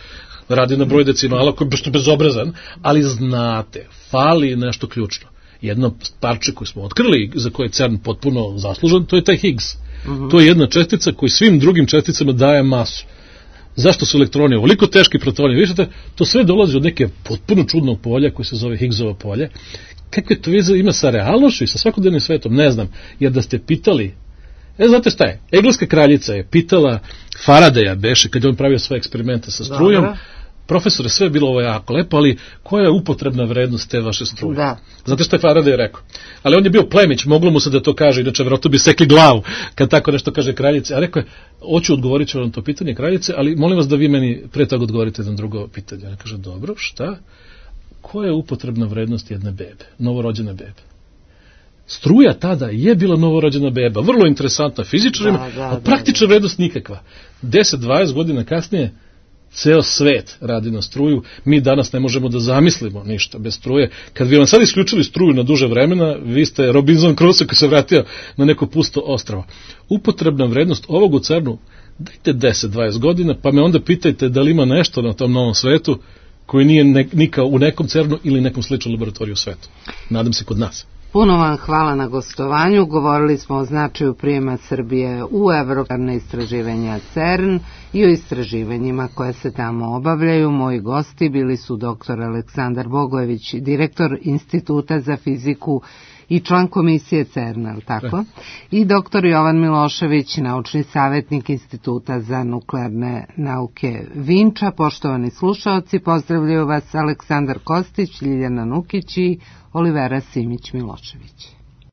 Radi na broj decimala koji je bezobrazan, ali znate, fali nešto ključno. Jedno parče koje smo otkrili, za koje je CERN potpuno zaslužan, to je taj Higgs. To je jedna čestica koji svim drugim česticama daje masu. Zašto su elektroni ovoliko teški, protoni? Vidite, to sve dolazi od neke potpuno čudnog polja koje se zove Higgsovo polje. Kakve to veze ima sa realnošću i sa svakodnevnim svetom? Ne znam, jer da ste pitali, znate šta je? Engleska kraljica je pitala Faradaya, beše, kad je on pravio svoje eksperimente sa strujom, profesore, sve je bilo ovo jako lepo, ali koja je upotrebna vrednost te vaše struje? Znate što je Faraday rekao? Ali on je bio plemić, moglo mu se da to kaže, inače vjerojatno bi sekli glavu kad tako nešto kaže kraljice. A rekao je, hoću odgovorit ću vam to pitanje kraljice, ali molim vas da vi meni pre toga odgovorite na drugo pitanje. Ona kaže, dobro, šta? Koja je upotrebna vrednost jedne bebe, novorođene bebe? Struja tada je bila novorođena beba, vrlo interesantna fizičarima, a praktična vrednost nikakva. 10-20 godina kasnije ceo svet radi na struju, mi danas ne možemo da zamislimo ništa bez struje. Kad bi vam sad isključili struju na duže vremena, vi ste Robinson Crusoe koji se vratio na neko pusto ostrvo. Upotrebna vrednost ovog u CERN-u, dajte 10-20 godina, pa me onda pitajte da li ima nešto na tom novom svetu koji nije nikao u nekom CERN-u ili nekom sličnom laboratoriju u svetu. Nadam se kod nas. Puno vam hvala na gostovanju. Govorili smo o značaju prijema Srbije u evroparne istraživanja CERN i o istraživanjima koje se tamo obavljaju. Moji gosti bili su dr. Aleksandar Bogojević, direktor Instituta za fiziku i član komisije CERN-a, tako? I doktor Jovan Milošević, naučni savjetnik Instituta za nuklearne nauke Vinča. Poštovani slušaoci, pozdravljaju vas Aleksandar Kostić, Ljiljana Nukić i Olivera Simić-Milošević.